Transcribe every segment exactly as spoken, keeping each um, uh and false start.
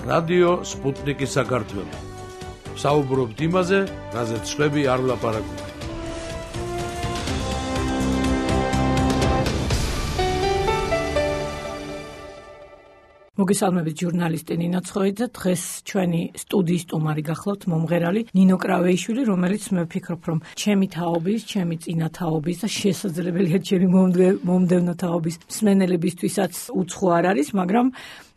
რადიო სპუტნიკი საქართველო. საუბრობთ იმაზე, რაზეც სხვები არ ვლაპარაკობენ. მოგესალმებით, ჟურნალისტი ნინო ცხოიძე. დღეს ჩვენი სტუდიის სტუმარი გახლავთ მომღერალი ნინო კრავეიშვილი, რომელიც მე ვფიქრობ, რომ ჩემი თაობის, ჩემი წინა თაობის და შესაძლებელია ჩემი მომდევნო თაობის მსმენელებისთვისაც უცხო არ არის, მაგრამ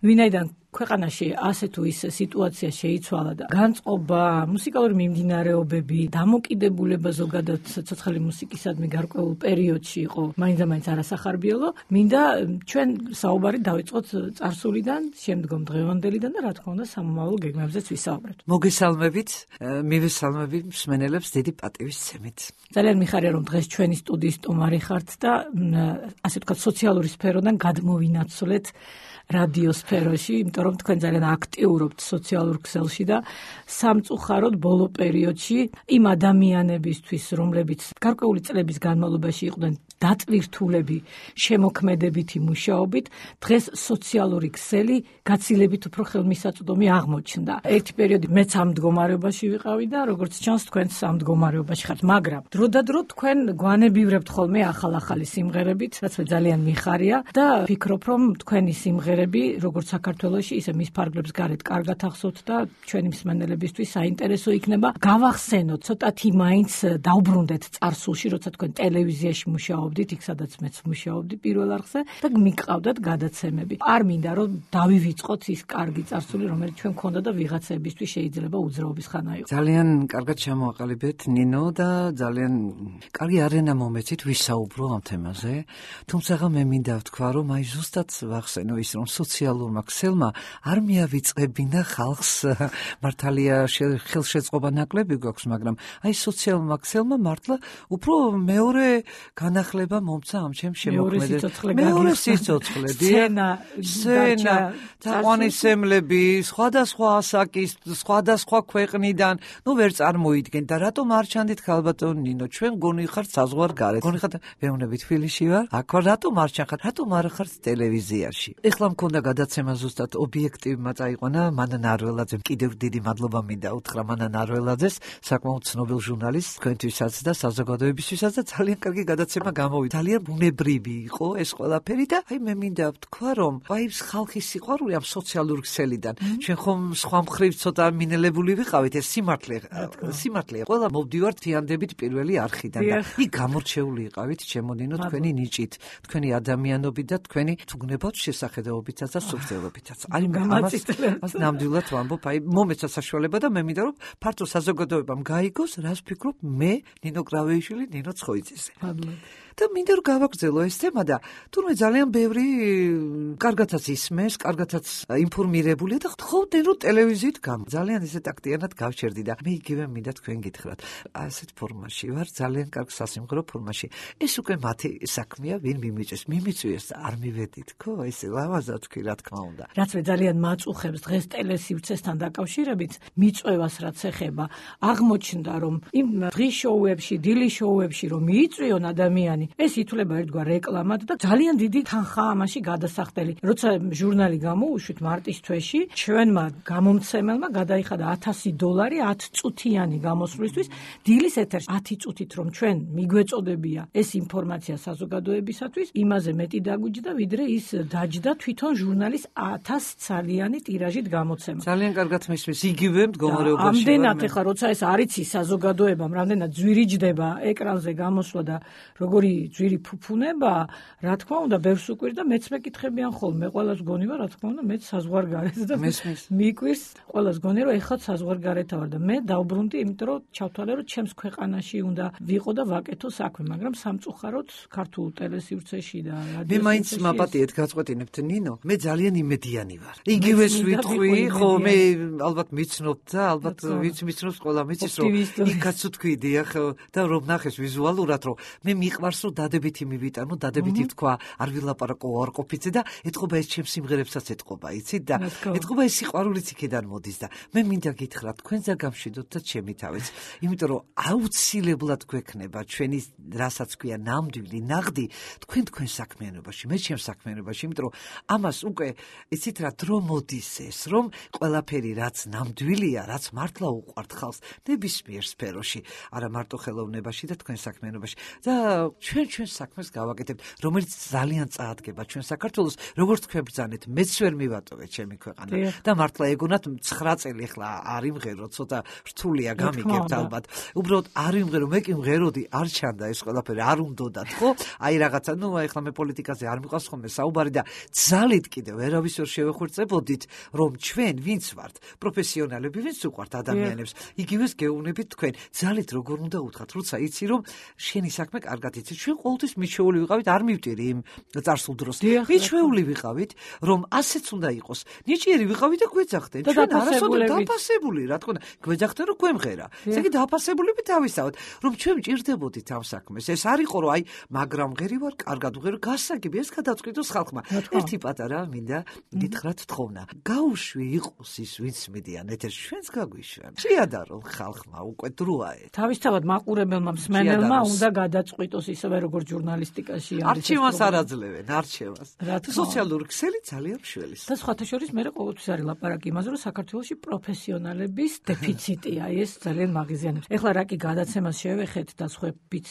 ვინაიდან ქვეყანაში ასე თუ ისე სიტუაცია შეიცვალა და განწყობა, მუსიკალური მიმდინარეობები, დამოკიდებულება ზოგადად ცოცხალი მუსიკისადმი გარკვეულ პერიოდში იყო მაინც-მაინც არასახარბიელო, მინდა ჩვენ საუბარი დავიწყოთ წარსულიდან, შემდგომ დღევანდელიდან და რა თქმა უნდა სამომავლო გეგმებზეც ვისაუბრებთ. მოგესალმებით, მივესალმებით მსმენელებს დიდი პატივისცემით. ძალიან მიხარია, რომ დღეს ჩვენი სტუდიის სტუმარი ხართ და ასე ვთქვათ სოციალური სფეროდან გადმოვინაცვლეთ რადიო სფეროში, იმიტომ რომ თქვენ ძალიან აქტიურობთ სოციალურ ქსელში და სამწუხაროდ ბოლო პერიოდში იმ ადამიანებისთვის, რომლებიც გარკვეული წლების განმავლობაში იყვნენ დატვირთულები შემოქმედებითი მუშაობით, დღეს სოციალური ქსელი გაცილებით უფრო ხელმისაწვდომი აღმოჩნდა. ერთი პერიოდი მეც ამ მდგომარეობაში ვიყავი და როგორც ჩანს თქვენც ამ მდგომარეობაში ხართ, მაგრამ დროდადრო თქვენ გვანებივრებთ ხოლმე ახალ-ახალი სიმღერებით, რაც მე ძალიან მიხარია და ვფიქრობ, რომ თქვენი სიმღერები როგორც საქართველოში, ისე მის ფარგლებს გარეთ კარგად ახსოვთ და ჩვენი მსმენელებისთვის საინტერესო იქნება. გავახსენოთ, ცოტათი მაინც დავბრუნდეთ წარსულში, როცა თქვენ ტელევიზიაში მუშაობდით, იქ სადაც მეც მუშაობდი პირველ არხზე და მიყავდათ გადაცემები. არ მინდა რომ დავივიწყოთ ის კარგი წარსული, რომელიც ჩვენ გქონდა და ვიღაცებისთვის შეიძლება უძრაობის ხანა იყო. ძალიან კარგად ჩამოაყალიბეთ ნინო და ძალიან კარგი არენა მომეცით ვისაუბრო ამ თემაზე. თუმცა მე მინდა ვთქვა, რომ აი ზუსტად ვახსენო ის, რომ სოციალურმა ქსელმა არ მიავიწყებინა ხალხს, მართალია ხელშეწყობა ნაკლები გვაქვს, მაგრამ აი სოციალურმა ქსელმა მართლა უფრო მეორე განახლება მომცა ამ ჩემ შემოქმედებას. მეორე სიცოცხლე, სცენა, სცენა, თაყვანისმცემლები, სხვადასხვა ასაკის, სხვადასხვა ქვეყნიდან, ნუ ვერ წარმოიდგენ და რატომ არ ჩანდით ქალბატონ ნინო, ჩვენ გონი ხართ საზღვარგარეთ. გონი ხართ, მეუბნები თბილისში ვარ, აქ ვარ, რატომ არ ჩახართ, რატომ არ ხართ ტელევიზიაში. ეხლა მქონდა გადაცემა ზუსტად ობიექტივმა წაიყვანა მანა ნარველაძემ. კიდევ დიდი მადლობა მინდა უთხრა მანა ნარველაძეს, საკმაოდ ცნობილ ჟურნალისტს, თქვენთვისაც და საზოგადოებისთვისაც და ძალიან კარგი გადაცემა გამოვიდა. ძალიან ბუნებრივი იყო ეს ყველაფერი და აი მე მინდა ვთქვა, რომ აი ხალხის სიყვარული ამ სოციალურ ქსელიდან. ჩვენ ხომ სხვა მხრივ ცოტა მინელებული ვიყავით, ეს სიმართლე, სიმართლეა. ყველა მოვდივართ თიანდებით პირველი არხიდან და იქ გამორჩეული იყავით ჩემონინო თქვენი ნიჭით, თქვენი ადამიანობით და თქვენი თუგნებად შესახედაობითაც და სუფრთხილობითაც. აი ამას ნამდვილად ვამბობ, აი მომეცა საშუალება და მე მინდა რომ ფართო საზოგადოებამ გაიგოს, რას ვფიქრობ მე ნინო კრავეიშვილი, ნინო ცხოიძეზე. და მინდა რომ გავაგრძელო ეს თემა და თურმე ძალიან ბევრი კარგათაც ისმენს, კარგათაც ინფორმირებულია და ხოვდნენ რომ ტელევიზიით გამ. ძალიან ისეთ აქტიანად გავჩერდი და მე იგივე მინდა თქვენ გითხრათ. ასეთ ფორმაში ვარ, ძალიან კარგ სასიმღერო ფორმაში. ეს უკვე მათი საქმეა, ვინ მიმიწვევს, მიმიწვევს და არ მივედით, ხო? ესე ლამაზად თქვი, რა თქმა უნდა. რაც მე ძალიან მაწუხებს დღეს ტელესივრცესთან დაკავშირებით, მიწვევას რაც ეხება, აღმოჩნდა რომ იმ დღის შოუებში, დილის შოუებში რომ მიიწვიონ ადამიანი ეს ითვლება ერთგვარ რეკლამად და ძალიან დიდი თანხა ამაში გადასახდელი. როცა ჟურნალი გამოუშვით მარტის თვეში, ჩვენმა გამომცემელმა გადაიხადა ათასი დოლარი ათ წუთიანი გამოსვლისთვის. დილის ეთერში ათი წუთით რომ ჩვენ მიგვეწოდებია ეს ინფორმაცია საზოგადოებისათვის, იმაზე მეტი დაგვიჯდა, ვიდრე ის დაჯდა თვითონ ჟურნალის ათას ცალიანი ტირაჟით გამოცემა. ძალიან კარგად მისმის იგივე მდგომარეობაში. ამდენად ეხლა როცა ეს არიცი საზოგადოებამ, რამდენად ძვირიჯდება ეკრანზე გამოსვლა და როგორი ძვირი ფუფუნება, რა თქმა უნდა, ბევრს უკვირდა, მეც მეკითხებიან ხოლმე, ყველას გონივა, რა თქმა უნდა, მეც საზღვარგარეთ და მიკვირს, ყველას გონი, რომ ეხლა საზღვარგარეთ ვარ და მე დავბრუნდი, იმიტომ რომ ჩავთვალე, რომ ჩემს ქვეყანაში უნდა ვიყო და ვაკეთო საქმე, მაგრამ სამწუხაროდ ქართულ ტელესივრცეში და რადიოსივრცეში. მე მაინც მაპატიეთ გაწყვეტინებთ ნინო, მე ძალიან იმედიანი ვარ. იგივეს ვიტყვი, ხო, მე ალბათ მიცნობთ და ალბათ ვინც მიცნობს, ყველა მიცის, რომ იქაც თქვი, დიახ, და რომ ნახეს ვიზუალურად, რომ მე მიყვარს მას რომ დადებითი მივიტანო, დადებითი თქვა, არ ვილაპარაკო არყოფიზე და ეთყობა ეს ჩემს სიმღერებსაც ეთყობა, იცით და ეთყობა ეს სიყვარულიც იქიდან მოდის და მე მინდა გითხრათ, თქვენ ზაგამშვიდოთ და ჩემი თავიც, იმიტომ რომ აუცილებლად გვექნება ჩვენი რასაც ქვია ნამდვილი ნაღდი თქვენ თქვენ საქმიანობაში, მე ჩემს საქმიანობაში, იმიტომ რომ ამას უკვე იცით რა დრო მოდის ეს, რომ ყველაფერი რაც ნამდვილია, რაც მართლა უყვართ ხალხს ნებისმიერ სფეროში, არა მარტო ხელოვნებაში და თქვენ საქმიანობაში და ჩვენ ჩვენს საქმეს გავაკეთებთ, რომელიც ძალიან წაადგება ჩვენ საქართველოს, როგორც თქვენ ბრძანეთ, მეც ვერ მივატოვეთ ჩემი ქვეყანა და მართლა ეგონათ ცხრა წელი ახლა არ იმღერო, ცოტა რთულია გამიგებთ ალბათ. უბრალოდ არ იმღერო, მე კი მღეროდი, არ ჩანდა ეს ყველაფერი, არ უნდოდათ, ხო? აი რაღაცა, ნუ ახლა მე პოლიტიკაზე არ მიყვარს ხოლმე საუბარი და ძალით კიდევ ვერავის ვერ შევეხურწებოდით, რომ ჩვენ ვინც ვართ, პროფესიონალები, ვინც უყვართ ადამიანებს, იგივეს გეუბნებით თქვენ, ძალით როგორ უნდა უთხრათ, როცა იცი რომ შენი საქმე კარგად იცი. ჩვენ ყოველთვის მიჩვეული ვიყავით, არ მივტირი იმ წარსულ დროს. მიჩვეული ვიყავით, რომ ასეც უნდა იყოს. ნიჭიერი ვიყავით და გვეძახდნენ. ჩვენ არასოდეს დაფასებული, რა თქმა უნდა, გვეძახდნენ რომ გვემღერა. ესე იგი დაფასებულები თავისთავად, რომ ჩვენ მჭირდებოდით ამ საქმეს. ეს არ იყო რომ აი, მაგრამ ღერი ვარ, კარგად ვღერო, გასაგები, ეს გადაწყვიტოს ხალხმა. ერთი პატარა მინდა გითხრათ თხოვნა. გაუშვი იყოს ის, ვინც მედიან ეთერში, ჩვენც გაგვიშვან. შეადარონ ხალხმა, უკვე დროა. თავისთავად მაყურებელმა მსმენელმა უნდა გადაწყვიტოს ისევე როგორც ჟურნალისტიკაში არის. არჩევას არ აძლევენ, არჩევას. სოციალური ქსელი ძალიან მშველის. და სხვათა შორის მე ყოველთვის არის ლაპარაკი იმაზე, რომ საქართველოში პროფესიონალების დეფიციტია, ეს ძალიან მაღიზიანებს. ეხლა რა კი გადაცემას შევეხეთ და სხვებიც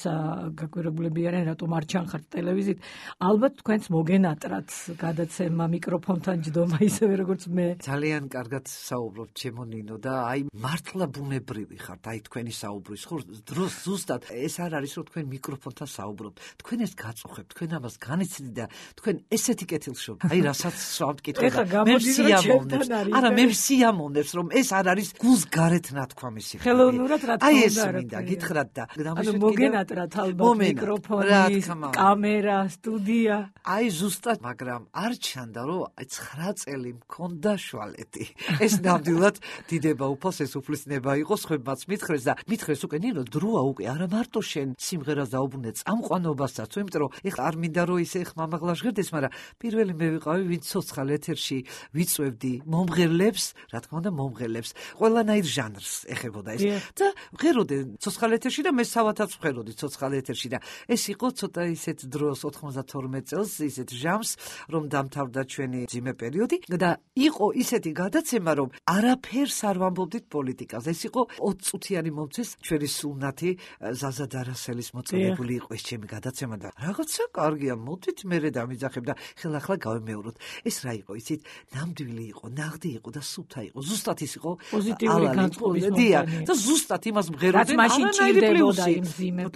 გაკვირებულები არიან, რატომ არ ჩანხართ ტელევიზიით, ალბათ თქვენც მოგენატრათ გადაცემა მიკროფონთან ჯდომა ისევე როგორც მე. ძალიან კარგად საუბრობთ ჩემო ნინო და აი მართლა ბუნებრივი ხართ, აი თქვენი საუბრის ხო დროს ზუსტად ეს არ არის რომ თქვენ მიკროფონთან საუბრობთ. თქვენ ეს გაწუხებთ, თქვენ ამას განიცდით და თქვენ ესეთი კეთილშობთ. აი რასაც სვავთ კითხება. მე სიამოვნებს. არა, მე სიამოვნებს რომ ეს არ არის გულს გარეთ ნათქვამი სიხარული. ხელოვნურად რა თქმა უნდა. აი ეს მინდა გითხრათ და ანუ მოგენატრათ ალბათ მიკროფონი, კამერა, სტუდია. აი ზუსტად, მაგრამ არ ჩანდა რომ ცხრა წელი მქონდა შვალეთი. ეს ნამდვილად დიდება უფალს ეს უფლისნება იყო, ხებმაც მითხრეს და მითხრეს უკვე ნინო დროა უკვე არა მარტო შენ სიმღერას დაუბრუნე წამყვანობასაც, იმიტომ რომ ეხლა არ მინდა რომ ისე ხმამაღლა ჟღერდეს, მაგრამ პირველი მე ვიყავი, ვინც ცოცხალ ეთერში ვიწვევდი მომღერლებს, რა თქმა უნდა მომღერლებს, ყველანაირ ჟანრს ეხებოდა ეს და ვღეროდი ცოცხალ ეთერში და მე სავათაც ვღეროდი ცოცხალ ეთერში და ეს იყო ცოტა ისეთ დროს ოთხმოცდათორმეტ წელს ისეთ ჟამს, რომ დამთავრდა ჩვენი ძიმე პერიოდი და იყო ისეთი გადაცემა, რომ არაფერს არ ვამბობდით პოლიტიკაზე. ეს იყო ოცი წუთიანი მომცეს ჩვენი სულნათი ზაზა დარასელის მოწოდებული იყო ეს ჩემი გადაცემა და რაღაცა კარგია, მოდით მერე დამიძახებ და ხელახლა გავემეოროთ. ეს რა იყო, იცით, ნამდვილი იყო, ნაღდი იყო და სუფთა იყო. ზუსტად ის იყო პოზიტიური განწყობის მომენტი. და ზუსტად იმას მღეროდნენ, არანაირი პლუსი.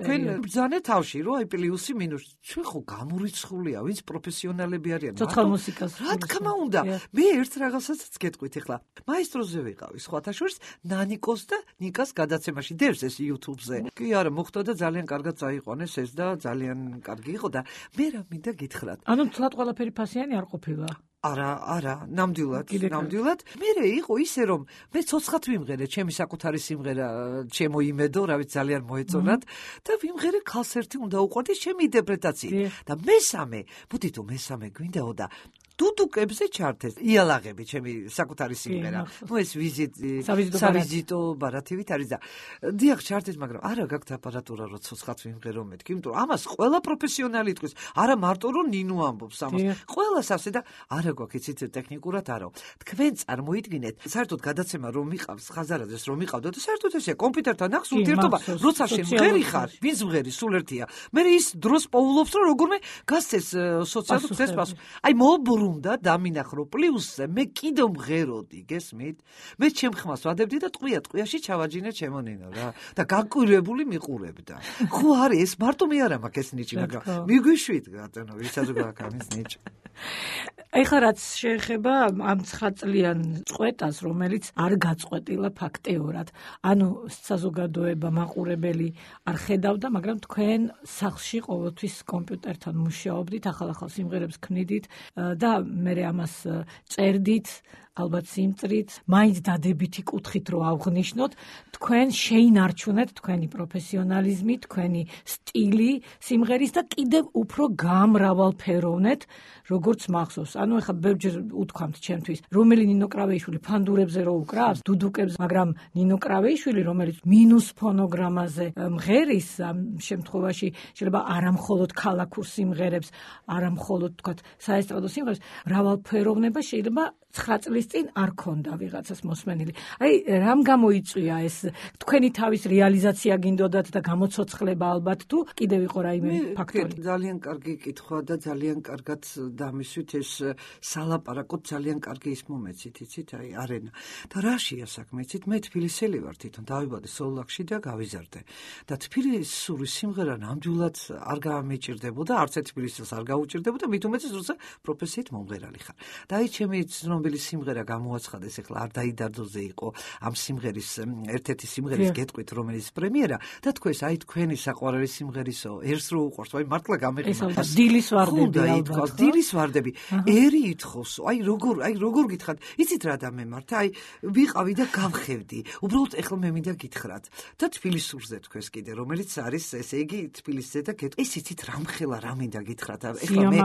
თქვენ ბრძანე თავში, რომ აი პლუსი მინუსი. ჩვენ ხო გამორიცხულია, ვინც პროფესიონალები არიან. ცოცხალ მუსიკას. რა თქმა უნდა. მე ერთ რაღაცასაც გეტყვით ეხლა. მაესტროზე ვიყავი, სხვათა შორის ნანიკოს და ნიკას გადაცემაში დევს ეს YouTube-ზე. კი არა, მოხდა და ძალიან კარგად წაიყვანეს ეს და ძალიან კარგი იყო და მე რა მინდა გითხრათ. ანუ თლად ყველაფერი ფასიანი არ ყოფილა. არა, არა, ნამდვილად, ნამდვილად. მერე იყო ისე რომ მე ცოცხლად ვიმღერე, ჩემი საკუთარი სიმღერა, ჩემო იმედო, რა ვიცი, ძალიან მოეწონათ და ვიმღერე ქალს ერთი უნდა უყვარდეს ჩემი ინტერპრეტაციით. და მესამე, მოდით რომ მესამე გვინდაო და დუდუკებზე ჩართეს იალაღები ჩემი საკუთარი სიმღერა. ნუ ეს ვიზიტი, სავიზიტო ბარათივით არის და დიახ ჩართეს, მაგრამ არა გაქვთ აპარატურა რომ ცოცხლად ვიმღერო მეთქი, იმიტომ რომ ამას ყველა პროფესიონალი იტყვის. არა მარტო რომ ნინო ამბობს ამას. ყველას ასე და არა გვაქვს იცით ტექნიკურად არო. თქვენ წარმოიდგინეთ, საერთოდ გადაცემა რომ მიყავს ხაზარაძეს რომ მიყავდა და საერთოდ ესე კომპიუტერთან ახს ურთიერთობა, როცა შემღერი ხარ, ვინც მღერი სულ ერთია. მე ის დროს პოულობს რომ როგორმე გასცეს სოციალურ ქსელს პასუხი. აი მობრუნდა დამინახრო პლუსზე, მე კიდევ მღეროდი, გესმით? მე ჩემ ხმას ვადებდი და ტყვია ტყვიაში ჩავაჯინე ჩემო ნინო რა და გაკვირვებული მიყურებდა. ხო არის ეს მარტო მე არა მაქვს ეს ნიჭი, მაგრამ მიგვიშვით ბატონო, ვისაც გვაქვს ამის ნიჭი. ეხლა რაც შეეხება ამ ცხრაწლიან წყვეტას, რომელიც არ გაწყვეტილა ფაქტიურად. ანუ საზოგადოება მაყურებელი არ ხედავდა, მაგრამ თქვენ სახლში ყოველთვის კომპიუტერთან მუშაობდით, ახალ-ახალ სიმღერებს ქმნიდით და მე ამას წერდით, ალბათ სიმწრით, მაინც დადებითი კუთხით რო ავღნიშნოთ, თქვენ შეინარჩუნეთ თქვენი პროფესიონალიზმი, თქვენი სტილი სიმღერის და კიდევ უფრო გამრავალფეროვნეთ, როგორც მახსოვს. ანუ ეხლა ბევრჯერ უთქვამთ ჩემთვის, რომელი ნინო კრავეიშვილი ფანდურებზე რო უკრავს, დუდუკებს, მაგრამ ნინო კრავეიშვილი, რომელიც მინუს ფონოგრამაზე მღერის, ამ შემთხვევაში შეიძლება არამხოლოდ ქალაქურ სიმღერებს, არამხოლოდ თქვათ საესტრადო სიმღერებს, მრავალფეროვნება შეიძლება ცხრა წლის წინ არ ქონდა ვიღაცას მოსმენილი. აი, რამ გამოიწვია ეს თქვენი თავის რეალიზაცია გინდოდათ და გამოცოცხლება ალბათ თუ კიდევ იყო რაიმე ფაქტორი? ძალიან კარგი კითხვა და ძალიან კარგად დამისვით ეს სალაპარაკო ძალიან კარგი ის მომეცით, იცით, აი არენა. და რაშია საქმე, იცით, მე თბილისელი ვარ თვითონ, დავიბადე სოლაქში და გავიზარდე. და თბილისური სიმღერა ნამდვილად არ გამეჭირდებოდა, არც ერთ თბილისელს არ გაუჭირდებოდა, მით უმეტეს როცა პროფესიით მომღერალი ხარ. და აი ჩემი ცნობილი სიმღერა გამოაცხადეს, ეხლა არ დაიდარდოზე იყო ამ სიმღერის ერთ-ერთი სიმღერის გეტყვით, რომელიც პრემიერა და თქვენს აი თქვენი საყვარელი სიმღერისო, ერს რო უყვარს, აი მართლა გამეყინა. დილის ვარდები ალბათ. დილის ვარდები. ერი ითხოვს, აი როგორ, აი როგორ გითხრათ, იცით რა დამემართა, აი ვიყავი და გავხევდი. უბრალოდ ეხლა მე მინდა გითხრათ და თბილისურზე თქვენს კიდე, რომელიც არის ესე იგი თბილისზე და გეტყვი. ეს იცით რამხელა რა მინდა გითხრათ, ეხლა მე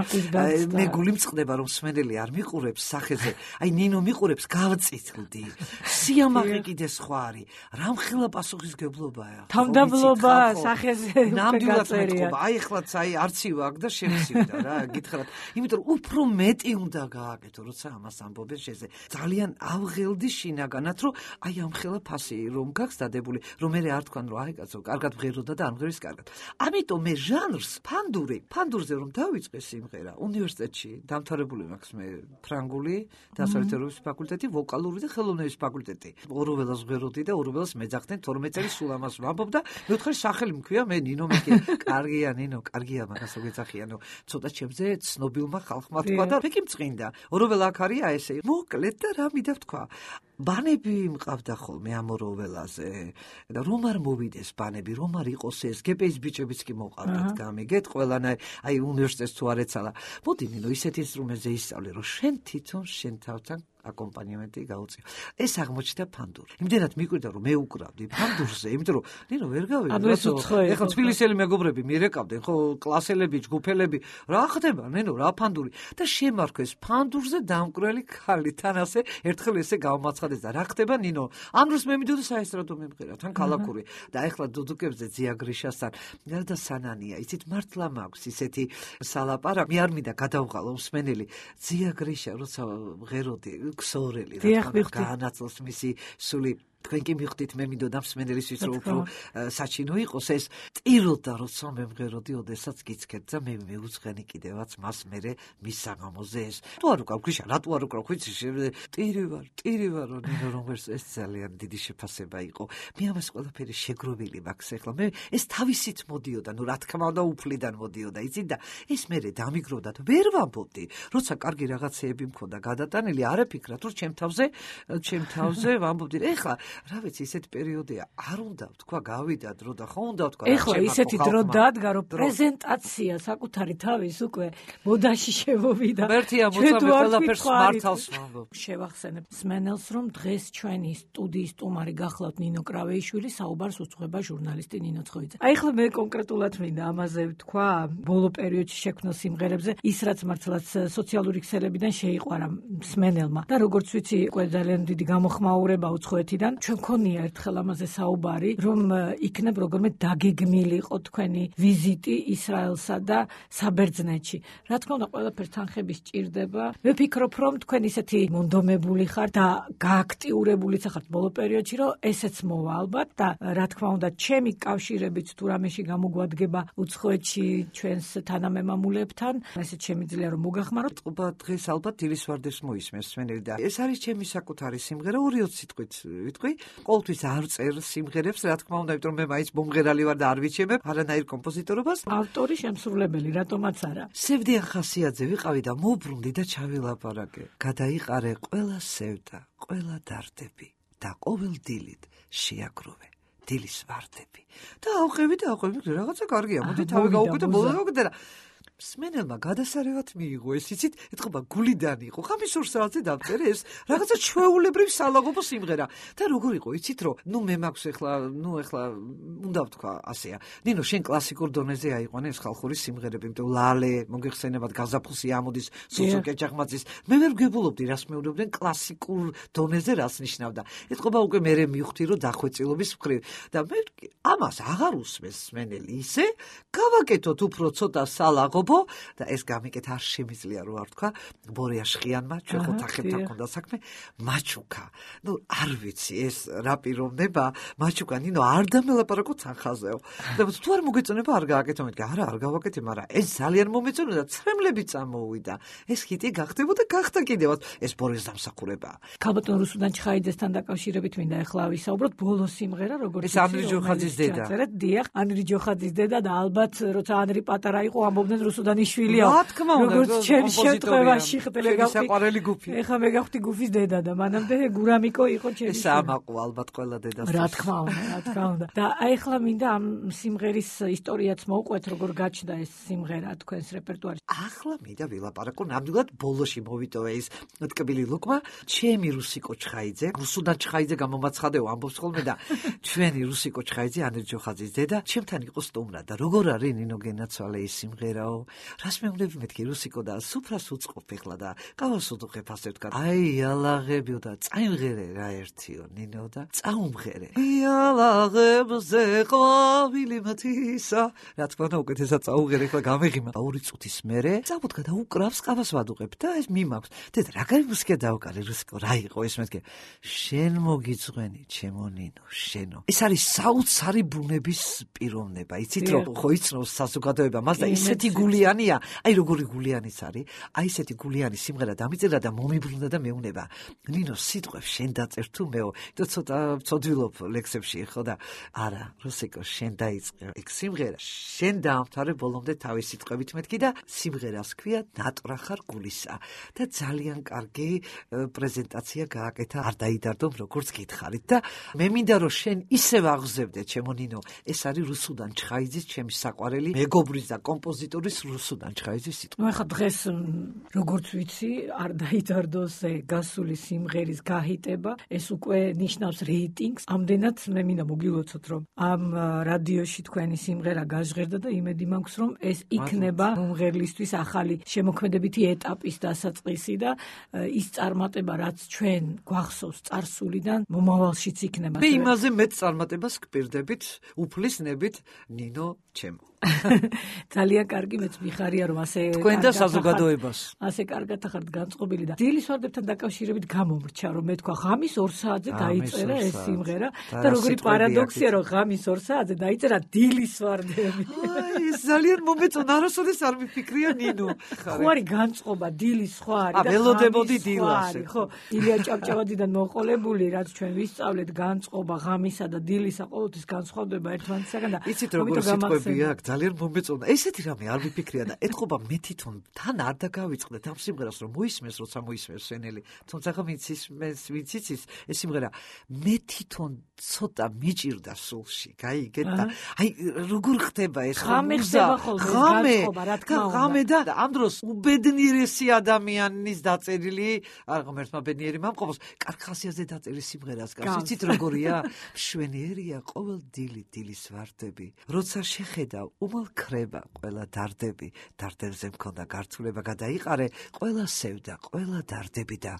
მე გული მწყდება რომ სმენელი არ მიყურებს სახეზე. აი ნინო მიყურებს გავწითლდი. სიამაყე კიდე სხვა არის. რამხელა პასუხისგებლობაა. თავდაბლობა სახეზე ნამდვილად მეტყობა. აი ეხლაც აი არცივ აქ და შემცივდა რა, გითხრათ. იმიტომ რომ უფრო მეტი უნდა გააკეთო, როცა ამას ამბობენ შეზე. ძალიან ავღელდი შინაგანად, რომ აი ამხელა ფასი რომ გაქვს დადებული, რომ მე არ თქვან რომ აი კაცო, კარგად ვღეროდა და ამღერის კარგად. ამიტომ მე ჟანრს ფანდური, ფანდურზე რომ დავიწყე სიმღერა, უნივერსიტეტში დამთავრებული მაქვს მე ფრანგული დასავლეთევროპის ფაკულტეტი, ვოკალური და ხელოვნების ფაკულტეტი. ოროველას ვღეროდი და ოროველას მეძახდნენ თორმეტ წელი სულ ამას ვამბობ და მეოთხე სახელი მქვია მე ნინო მეკი. კარგია ნინო, კარგია, მაგას ვეძახიანო. ცოტა ჩემზე ცნობილმა ხალხმა თქვა და მეკი მწყინდა. ოროველა აქ არია ესე. მოკლედ და რა მინდა ვთქვა. ბანები მყავდა ხოლმე ამ ოროველაზე და რომ არ მოვიდეს ბანები, რომ არ იყოს ეს გპ-ის ბიჭებიც კი მოყავდათ გამიგეთ, ყველანაირ აი უნივერსიტეტს თუ არ ეცალა. მოდი ნინო ისეთ ინსტრუმენტზე ისწავლე, რომ შენ თვითონ შენ თავთან აკომპანიმენტი გაუწიო. ეს აღმოჩნდა ფანდური. იმდენად მიკვირდა რომ მე უკრავდი ფანდურზე, იმიტომ რომ ნინო ვერ გავიგე. ეხლა თბილისელი მეგობრები მიერეკავდნენ, ხო, კლასელები, ჯგუფელები, რა ხდება, ნინო, რა ფანდური და შემარქვეს ფანდურზე დამკვრელი ქალი. თან ასე ერთხელ ესე გავმაცხადეს და რა ხდება, ნინო? ამ დროს მე მიდოდა საესტრადო მემღერა, თან ქალაქური და ეხლა დუდუკებზე ძია გრიშასთან და სანანია. იცით, მართლა მაქვს ისეთი სალაპარაკი, მე არ მინდა გადავღალო მსმენელი. ძია გრიშა, როცა ვღეროდი ქსოვრელი რა განაცლოს მისი სული თქვენ კი მიხვდით მე მინდოდა მსმენელისთვის რომ უფრო საჩინო იყოს ეს ტიროდა როცა მე მღეროდი ოდესაც გიცქეთ და მე მეუძღენი კიდევაც მას მერე მის საღამოზე ეს თუ არ უკრავ გრიშა რატო არ უკრავ ხვიცი ტირი ვარ ტირი ვარ რომ ეს ძალიან დიდი შეფასება იყო მე ამას ყველაფერი შეგროვილი მაქვს ეხლა მე ეს თავისით მოდიოდა ნუ რა თქმა უნდა უფლიდან მოდიოდა იცით და ეს მერე დამიგროვდა და ვერ ვამბობდი როცა კარგი რაღაცეები მქონდა გადატანილი არ ეფიქრათ რომ ჩემ თავზე ჩემ თავზე ვამბობდი ეხლა რა ვიცი ისეთ პერიოდია არ უნდა თქვა გავიდა დრო და ხო უნდა თქვა ეხლა ისეთი დრო დადგა რომ პრეზენტაცია საკუთარი თავის უკვე მოდაში შევოვიდა მერტია მოწამე ყველაფერს მართავს ვამბობ შევახსენებ სმენელს რომ დღეს ჩვენი სტუდიის სტუმარი გახლავთ ნინო კრავეიშვილი საუბარს უძღვება ჟურნალისტი ნინო ცხოიძე აი ახლა მე კონკრეტულად მინდა ამაზე ვთქვა ბოლო პერიოდში შექმნილ სიმღერებზე ის რაც მართლაც სოციალური ქსელებიდან შეიყვარა სმენელმა და როგორც ვიცი უკვე ძალიან დიდი გამოხმაურება უცხოეთიდან ჩვენ ქონია ერთხელ ამაზე საუბარი, რომ იქნებ როგორმე დაგეგმილიყო თქვენი ვიზიტი ისრაელსა და საბერძნეთში. რა თქმა უნდა, ყველაფერს თანხები სჭირდება. მე ვფიქრობ, რომ თქვენ ისეთი მონდომებული ხართ და გააქტიურებულიც ხართ ბოლო პერიოდში, რომ ესეც მოვა ალბათ და რა თქმა უნდა, ჩემი კავშირებით თუ რამეში გამოგვადგება უცხოეთში ჩვენს თანამემამულებთან, ესეც შემიძლია რომ მოგახმაროთ. ყობა დღეს ალბათ დილის ვარდებს მოისმენს სმენელი და ეს არის ჩემი საკუთარი სიმღერა ორი ოცი სიტყვით. ვიტყვი ვიტყვი, ყოველთვის არ წერ სიმღერებს, რა თქმა უნდა, იმიტომ რომ მე მაინც მომღერალი ვარ და არ ვიჩემებ არანაირ კომპოზიტორობას. ავტორი, შემსრულებელი, რატომაც არა. სევდიან ხასიათზე ვიყავი და მოbrunდი და ჩავილაპარაკე. გადაიყარე ყველა სევდა, ყველა დარდები და ყოველ დილით შეაგროვე დილის ვარდები. და ავყევი და ავყევი, რაღაცა კარგია, მოდი თავი გავუკეთე, ბოლოს გავუკეთე და სმენელმა გადასარევად მიიღო, ეს იცით, ეთქობა გულიდან იყო. ხამის ორ საათზე დავწერე ეს რაღაცა ჩვეულებრივ სალაღობო სიმღერა. და როგორ იყო, იცით, რომ ნუ მე მაქვს ახლა, ნუ ახლა უნდა ვთქვა ასეა. ნინო, შენ კლასიკურ დონეზე აიყვანე ეს ხალხური სიმღერები, იმიტომ ლალე, მოგეხსენებათ გაზაფხულში ამოდის, სუსო კეჭახმაცის. მე ვერ ვგებულობდი, რას მეუბნებდნენ კლასიკურ დონეზე რას ნიშნავდა. ეთქობა უკვე მე მივხვდი, რომ დახვეწილობის მხრივ და მე ამას აღარ უსმენს სმენელი ისე, გავაკეთოთ უფრო ცოტა სალაღობო და ეს გამიკეთ არ შემიძლია რო არ თქვა ბორია შხიანმა ჩვენ ხო თახებთან ქონდა საქმე მაჩუკა ნუ არ ვიცი ეს რა პიროვნება მაჩუკა ნინო არ დამელაპარაკო თანხაზეო და თუ არ მოგეწონება არ გააკეთო მეთქი არა არ გავაკეთე მაგრამ ეს ძალიან მომეწონა და ცრემლები წამოუვიდა ეს ჰიტი გახდებოდა გახდა კიდევაც ეს ბორის დამსახურებაა ქალბატონ რუსუდან ჩხაიძესთან დაკავშირებით მინდა ახლა ვისაუბროთ ბოლო სიმღერა როგორც ის ანრი ჯოხაძის დედა დიახ ანრი ჯოხაძის დედა და ალბათ როცა ანრი პატარა იყო ამბობდნენ რუსუდანიშვილია რა თქმა უნდა როგორც ჩემ შემთხვევაში ხტლე გავხდი საყვარელი გუფი ეხა მე გავხდი გუფის დედა და მანამდე გურამიკო იყო ჩემი ეს ამაყო ალბათ ყველა დედას რა თქმა უნდა რა თქმა უნდა და აი ახლა მინდა ამ სიმღერის ისტორიაც მოვყვეთ როგორ გაჩნდა ეს სიმღერა თქვენს რეპერტუარში ახლა მინდა ვილაპარაკო ნამდვილად ბოლოში მოვიტოვე ის ტკბილი ლუკმა ჩემი რუსიკო ჩხაიძე რუსუდან ჩხაიძე გამომაცხადეო ამბობს ხოლმე და ჩვენი რუსიკო ჩხაიძე ანრი ჯოხაძის დედა ჩემთან იყო სტუმრად და როგორ არის ნინო გენაცვალე ის სიმღერაო რას მეუბნები მეთქი რუსიკო და სუფრას უწყობ ეხლა და ყავას უდუხებ ასე ვთქვა აი ალაღებიო და წაიმღერე რა ერთიო ნინო და წაუმღერე ალაღებზე ყვავილი მათისა რა თქმა უნდა უკეთესად წაუმღერე ეხლა გამეღიმა ორი წუთის მერე წავუდგა და უკრავს ყავას ვადუღებ და ეს მიმაქვს დედა რა კარი მუსიკა დავკარე რუსიკო რა იყო ეს მეთქი შენ მოგიწვენი ჩემო ნინო შენო ეს არის საოცარი ბუნების პიროვნება იცით რომ ხო იცნობს საზოგადოება მას და ისეთი გულიანია აი როგორი გულიანიც არის აი ესეთი გულიანი სიმღერა დამიწერა და მომიბრუნდა და მეუნება ნინო სიტყვებს შენ დაწერ თუ მეო და ცოტა ცოდვილობ ლექსებში ხო და არა რუსიკო შენ დაიწყე ეგ სიმღერა შენ დაამთავრე ბოლომდე თავის სიტყვებით მეთქი და სიმღერას ქვია ნატრახარ გულისა და ძალიან კარგი პრეზენტაცია გააკეთა არ დაიდარდომ როგორც გითხარით და მე მინდა რომ შენ ისევ აღზევდე ჩემო ნინო ეს არის რუსუდან ჩხაიძის ჩემი საყვარელი მეგობრის და კომპოზიტორის რუსუდან ჩხაიძის სიტყვა. ნუ ახლა დღეს როგორც ვიცი, არ დაიდარდოს გასული სიმღერის გაჰიტება, ეს უკვე ნიშნავს რეიტინგს. ამდენად მე მინდა მოგილოცოთ, რომ ამ რადიოში თქვენი სიმღერა გაჟღერდა და იმედი მაქვს, რომ ეს იქნება მომღერლისთვის ახალი შემოქმედებითი ეტაპის დასაწყისი და ის წარმატება, რაც ჩვენ გვახსოვს წარსულიდან, მომავალშიც იქნება. მე იმაზე მეც წარმატებას გპირდებით, უფლისნებით ნინო ჩემო. ძალიან კარგი მეც მიხარია რომ ასე თქვენ და საზოგადოებას ასე კარგად ახართ განწყობილი და დილის ვარდებთან დაკავშირებით გამომრჩა რომ მე თქვა ღამის ორ საათზე დაიწერა ეს სიმღერა და როგორი პარადოქსია რომ ღამის ორ საათზე დაიწერა დილის ვარდები აი ეს ძალიან მომეწონა არასოდეს არ მიფიქრია ნინო ხო არის განწყობა დილის ხო არის და ველოდებოდი დილას ხო ილია ჭავჭავადიდან მოყოლებული რაც ჩვენ ვისწავლეთ განწყობა ღამისა და დილისა ყოველთვის განსხვავდება ერთმანეთისაგან და იცით როგორი სიტყვებია ძალიან მომეწონა. ესეთი რამე არ ვიფიქრია და ეთქობა მე თვითონ თან არ დაგავიწყდეთ ამ სიმღერას რომ მოისმეს როცა მოისმეს სვენელი. თუმცა ხა ვიცის ვიციც ეს სიმღერა მე თვითონ ცოტა მიჭირდა სულში. გაიგეთ და აი როგორ ხდება ეს ხამე ხდება ხოლმე განწყობა რა თქმა უნდა. ხამე და ამ დროს უბედნიერესი ადამიანის დაწერილი არ ღმერთმა ბედნიერი მომყობს. კარგ ხასიათზე დაწერილი სიმღერას გავს. იცით როგორია? მშვენიერია ყოველ დილი დილის ვარდები. როცა შეხედავ უმალ ქრება ყველა დარდები, დარდებზე მქონდა გართულება გადაიყარე, ყველა სევდა, ყველა დარდები და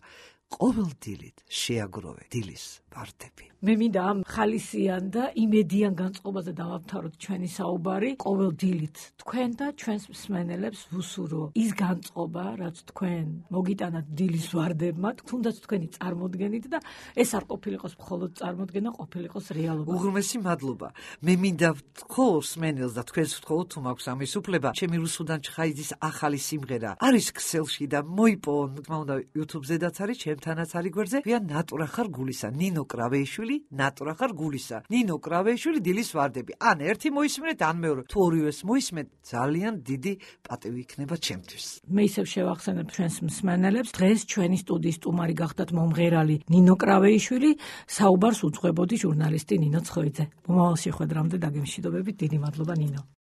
ყოველ დილით შეაგროვე დილის ვარდები. მე მინდა ამ ხალისიან და იმედიან განწყობაზე დავამთავროთ ჩვენი საუბარი. ყოველ დილით თქვენ და ჩვენს მსმენელებს ვუსურო ის განწყობა, რაც თქვენ მოგიტანათ დილის ვარდებმა, თუნდაც თქვენი წარმოდგენით და ეს არ ყოფილიყოს მხოლოდ წარმოდგენა, ყოფილიყოს რეალობა. უღრმესი მადლობა. მე მინდა ვთქო მსმენელს და თქვენს ვთქო თუ მაქვს ამის უფლება. ჩემი რუსუდან ჩხაიძის ახალი სიმღერა არის ქსელში და მოიპოვონ, თქმა უნდა, YouTube-ზედაც არის, ჩემ ჩვენთანაც არის გვერდზე. ვია ნატურა ხარ გულისა, ნინო კრავეიშვილი, ნატურა ხარ გულისა. ნინო კრავეიშვილი დილის ვარდები. ან ერთი მოისმენთ, ან მეორე. თუ ორივეს მოისმენთ, ძალიან დიდი პატივი იქნება ჩემთვის. მე ისევ შევახსენებ ჩვენს მსმენელებს, დღეს ჩვენი სტუდიის სტუმარი გახდათ მომღერალი ნინო კრავეიშვილი, საუბარს უძღვებოდი ჟურნალისტი ნინო ცხოიძე. მომავალ შეხვედრამდე დაგემშვიდობებით, დიდი მადლობა ნინო.